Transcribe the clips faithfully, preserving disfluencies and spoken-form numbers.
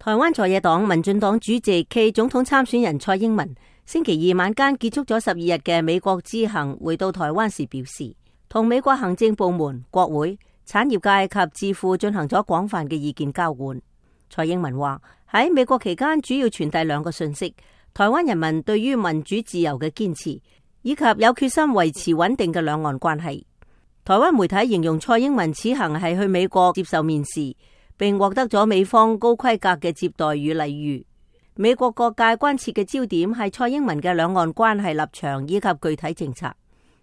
台灣在野黨民進黨主席暨總統參選人蔡英文星期二晚間結束咗十二日嘅美國之行，回到台灣時表示，同美國行政部門、國會、產業界及智庫進行咗廣泛嘅意見交換。蔡英文話喺美國期間主要傳遞兩個訊息：台灣人民對於民主自由嘅堅持，以及有決心維持穩定嘅兩岸關係。台灣媒體形容蔡英文此行係去美國接受面試，並獲得咗美方高規格嘅接待與禮遇。美國各界關切嘅焦點係蔡英文嘅兩岸關係立場以及具體政策。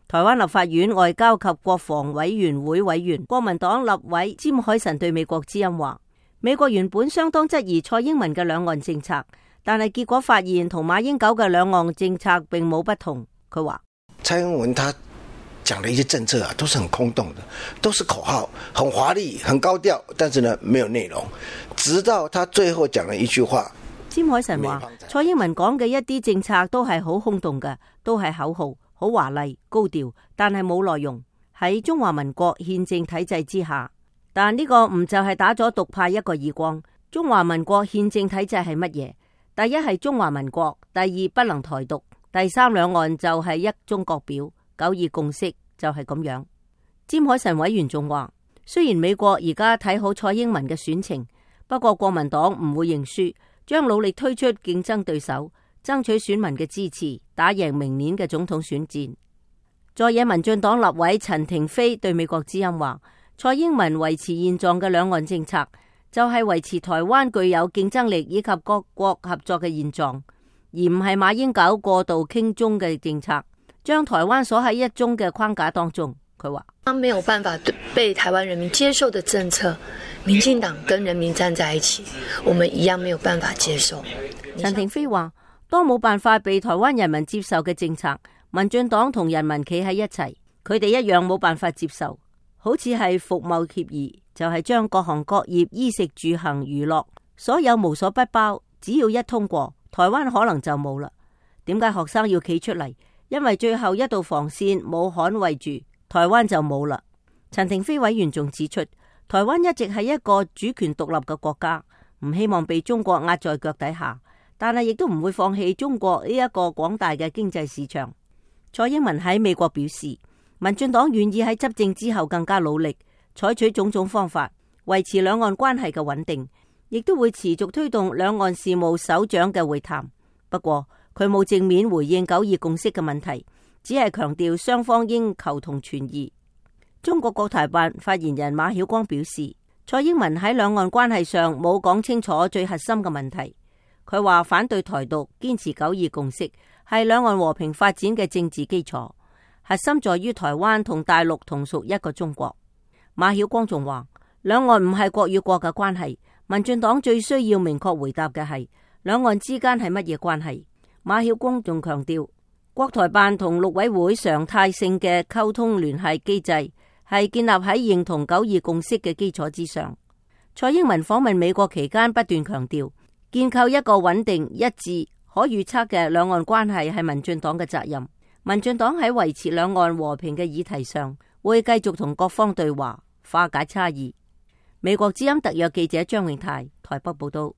台灣立法院外交及國防委員會委員、國民黨立委詹凱臣對美國之音話，美國原本相當質疑蔡英文嘅兩岸政策，但係結果發現同馬英九嘅兩岸政策並冇不同。佢話蔡英文他講的一些政策啊，都是很空洞的，都是口號，很華麗，很高調，但是呢，沒有內容。直到他最後講了一句話，詹凱臣話蔡英文講嘅一啲政策都係好空洞嘅，都係口號，好華麗高調，但係冇內容。喺中華民國憲政體制之下，但呢個唔就係打咗獨派一個耳光？中華民國憲政體制係乜嘢？第一係中華民國，第二不能台獨，第三兩岸就係一中各表，九二共識就係咁樣。詹凱臣委員仲話，雖然美國而家睇好蔡英文嘅選情，不過國民黨唔會認輸，將努力推出競爭對手，爭取選民嘅支持，打贏明年嘅總統選戰。在野民進黨立委陳亭妃對美國之音話，蔡英文維持現狀嘅兩岸政策，就係維持台灣具有競爭力以及各國合作嘅現狀，而唔係馬英九過度傾中嘅政策，將台灣鎖喺一中嘅框架當中。佢話，他沒有辦法被台灣人民接受的政策，民進黨跟人民站在一起，我們一樣沒有辦法接受。陳亭妃話，當冇辦法被台灣人民接受嘅政策，民進黨同人民企喺一齊，佢哋一樣冇辦法接受。好似係服貿協議，就係將各行各業衣食住行娛樂所有無所不包，只要一通過，台灣可能就冇啦。點解學生要企出嚟？因為最後一道防線冇捍衛住，台灣就冇啦。陳亭妃委員仲指出，台灣一直係一個主權獨立嘅國家，唔希望被中國壓在腳底下，但係亦都唔會放棄中國呢一個廣大嘅經濟市場。蔡英文喺美國表示，民進黨願意喺執政之後更加努力，採取種種方法維持兩岸關係嘅穩定，亦都會持續推動兩岸事務首長嘅會談。不過佢冇正面回應九二共識嘅問題，只係強調雙方應求同存異。中國國台辦發言人馬曉光表示，蔡英文喺兩岸關係上冇講清楚最核心嘅問題。佢話反對台獨，堅持九二共識係兩岸和平發展嘅政治基礎，核心在於台灣同大陸同屬一個中國。馬曉光仲話，兩岸唔係國與國嘅關係，民進黨最需要明確回答嘅係兩岸之間係乜嘢關係。馬曉光仲強調，國台辦同陸委會常態性嘅溝通聯繫機制係建立喺認同九二共識嘅基礎之上。蔡英文訪問美國期間不斷強調，建構一個穩定、一致、可預測嘅兩岸關係係民進黨嘅責任。民進黨喺維持兩岸和平嘅議題上，會繼續同各方對話，化解差異。美國之音特約記者張永泰台北報道。